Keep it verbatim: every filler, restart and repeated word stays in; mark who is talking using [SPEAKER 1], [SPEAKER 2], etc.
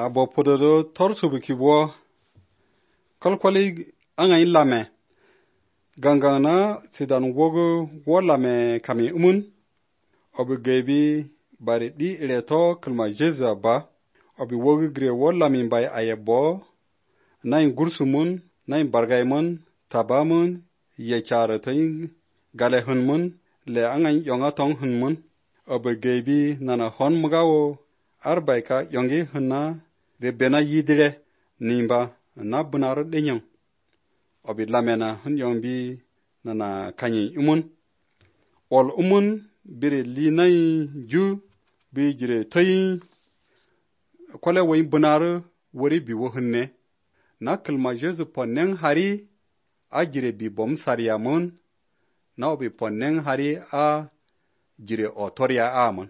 [SPEAKER 1] a bo pododo torsu biki bo kalkwali anga ilame gangang na sidan wogo wolame kami umun obi gebi bari di ileto kalma jeza ba obi wogo gre wolame bai ayebo nain gursumun nain bargaimun tabamun ye charatain gale hunmun le anga yonga tong hunmun obi gebi nana hon mugawo arbaika yongi hunna de bena yidire nimba na bunar denyang obi lamena hun yombi nana kanyi umun ol umun bire linai ju bi jire toyi kwale way bunar wori bi wo hunne na kalma jesu ponnen hari a jire bi bom sariya mun na obi ponnen hari a jire otoria amon